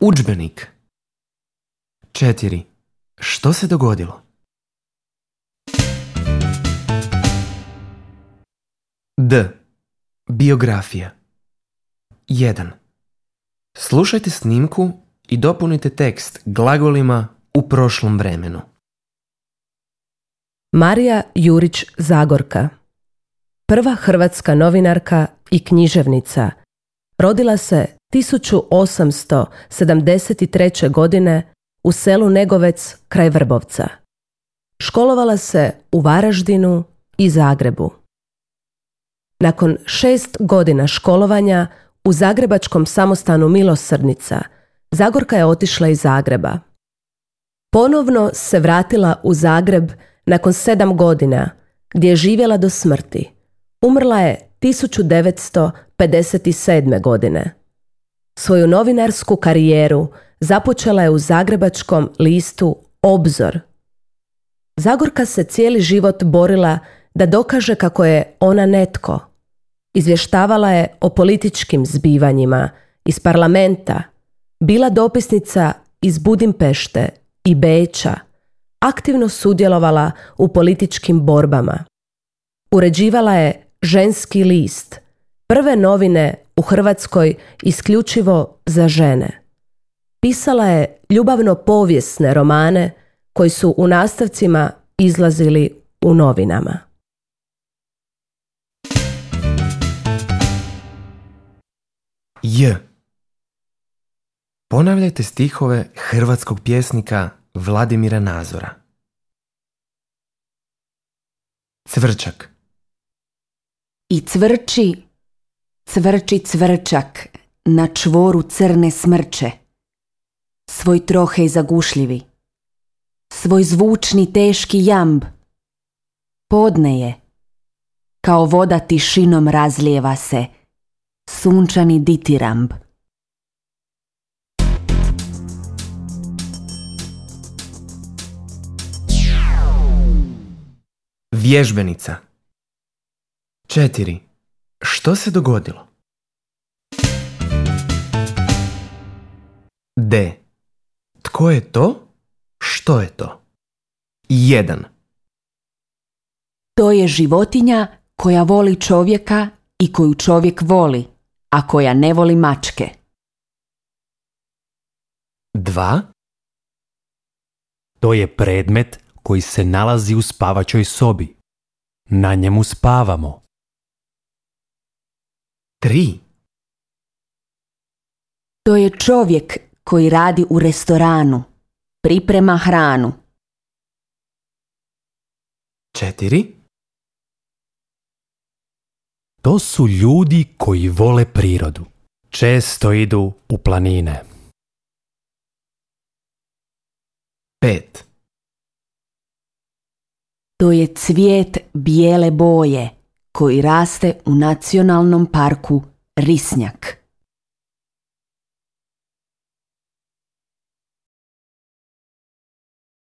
Udžbenik. 4. Što se dogodilo? D. Biografija. 1. Slušajte snimku i dopunite tekst glagolima u prošlom vremenu. Marija Jurić Zagorka, prva hrvatska novinarka i književnica, rodila se 1873. godine u selu Negovec kraj Vrbovca. Školovala se u Varaždinu i Zagrebu. Nakon 6 godina školovanja u zagrebačkom samostanu Milosrdnica, Zagorka je otišla iz Zagreba. Ponovno se vratila u Zagreb nakon 7 godina, gdje je živjela do smrti. Umrla je 1957. godine. Svoju novinarsku karijeru započela je u zagrebačkom listu Obzor. Zagorka se cijeli život borila da dokaže kako je ona netko. Izvještavala je o političkim zbivanjima iz parlamenta, bila dopisnica iz Budimpešte i Beča, aktivno sudjelovala u političkim borbama. Uređivala je Ženski list, prve novine u Hrvatskoj isključivo za žene. Pisala je ljubavno-povijesne romane koji su u nastavcima izlazili u novinama. J. Ponavljajte stihove hrvatskog pjesnika Vladimira Nazora. Cvrčak. I cvrči, cvrči cvrčak na čvoru crne smrče, svoj trohej zagušljivi, svoj zvučni teški jamb. Podne je, kao voda tišinom razlijeva se, sunčani ditiramb. Vježbenica. 4. Što se dogodilo? D. Tko je to? Što je to? 1. To je životinja koja voli čovjeka i koju čovjek voli, a koja ne voli mačke. 2. To je predmet koji se nalazi u spavačoj sobi. Na njemu spavamo. 3. To je čovjek koji radi u restoranu, priprema hranu. 4. To su ljudi koji vole prirodu. Često idu u planine. 5. To je cvijet bijele boje koji raste u nacionalnom parku Risnjak.